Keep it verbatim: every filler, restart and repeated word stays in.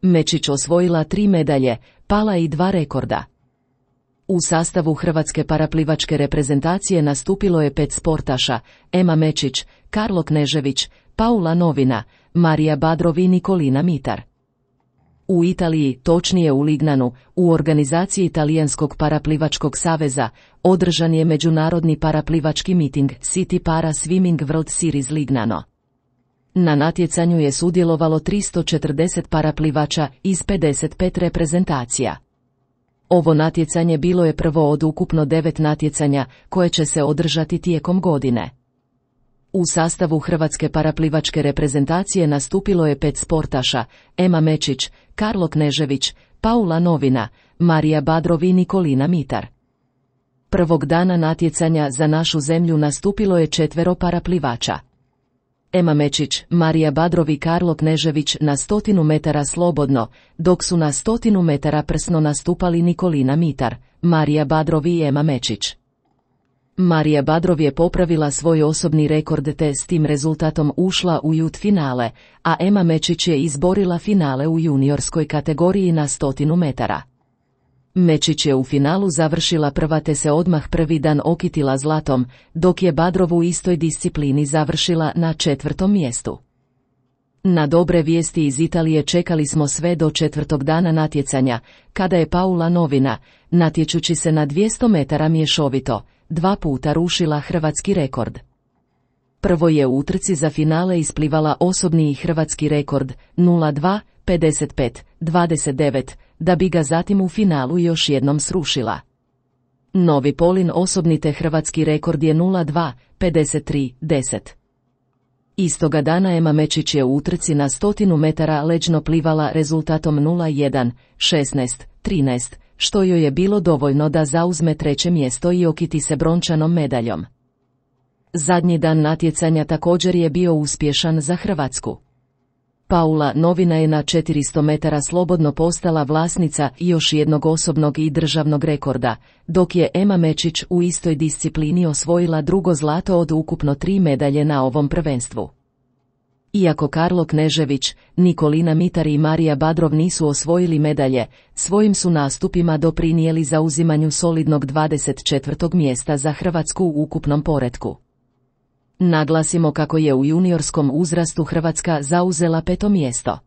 Mečić osvojila tri medalje, pala i dva rekorda. U sastavu hrvatske paraplivačke reprezentacije nastupilo je pet sportaša: Ema Mečić, Karlo Knežević, Paula Novina, Marija Badrov i Nikolina Mitar. U Italiji, točnije u Lignanu, u organizaciji Talijanskog paraplivačkog saveza, održan je međunarodni paraplivački miting City Para Swimming World Series Lignano. Na natjecanju je sudjelovalo tristo četrdeset paraplivača iz pedeset pet reprezentacija. Ovo natjecanje bilo je prvo od ukupno devet natjecanja koje će se održati tijekom godine. U sastavu hrvatske paraplivačke reprezentacije nastupilo je pet sportaša: Ema Mečić, Karlo Knežević, Paula Novina, Marija Badrov i Nikolina Mitar. Prvog dana natjecanja za našu zemlju nastupilo je četvero paraplivača: Ema Mečić, Marija Badrov i Karlo Knežević na stotinu metara slobodno, dok su na stotinu metara prsno nastupali Nikolina Mitar, Marija Badrov i Ema Mečić. Marija Badrov je popravila svoj osobni rekord te s tim rezultatom ušla u jut finale, a Ema Mečić je izborila finale u juniorskoj kategoriji na stotinu metara. Mečić je u finalu završila prva te se odmah prvi dan okitila zlatom, dok je Badrov u istoj disciplini završila na četvrtom mjestu. Na dobre vijesti iz Italije čekali smo sve do četvrtog dana natjecanja, kada je Paula Novina, natječući se na dvjesto metara mješovito, dva puta rušila hrvatski rekord. Prvo je u utrci za finale isplivala osobni i hrvatski rekord nula dva pedeset pet dvadeset devet, da bi ga zatim u finalu još jednom srušila. Novi Polin osobni te hrvatski rekord je nula dva pedeset tri deset. Istoga dana Ema Mečić je u utrci na stotinu metara leđno plivala rezultatom nula jedan šesnaest trinaest, što joj je bilo dovoljno da zauzme treće mjesto i okiti se brončanom medaljom. Zadnji dan natjecanja također je bio uspješan za Hrvatsku. Paula Novina je na četiristo metara slobodno postala vlasnica još jednog osobnog i državnog rekorda, dok je Ema Mečić u istoj disciplini osvojila drugo zlato od ukupno tri medalje na ovom prvenstvu. Iako Karlo Knežević, Nikolina Mitar i Marija Badrov nisu osvojili medalje, svojim su nastupima doprinijeli zauzimanju solidnog dvadeset četvrtog mjesta za Hrvatsku u ukupnom poretku. Naglasimo kako je u juniorskom uzrastu Hrvatska zauzela peto mjesto.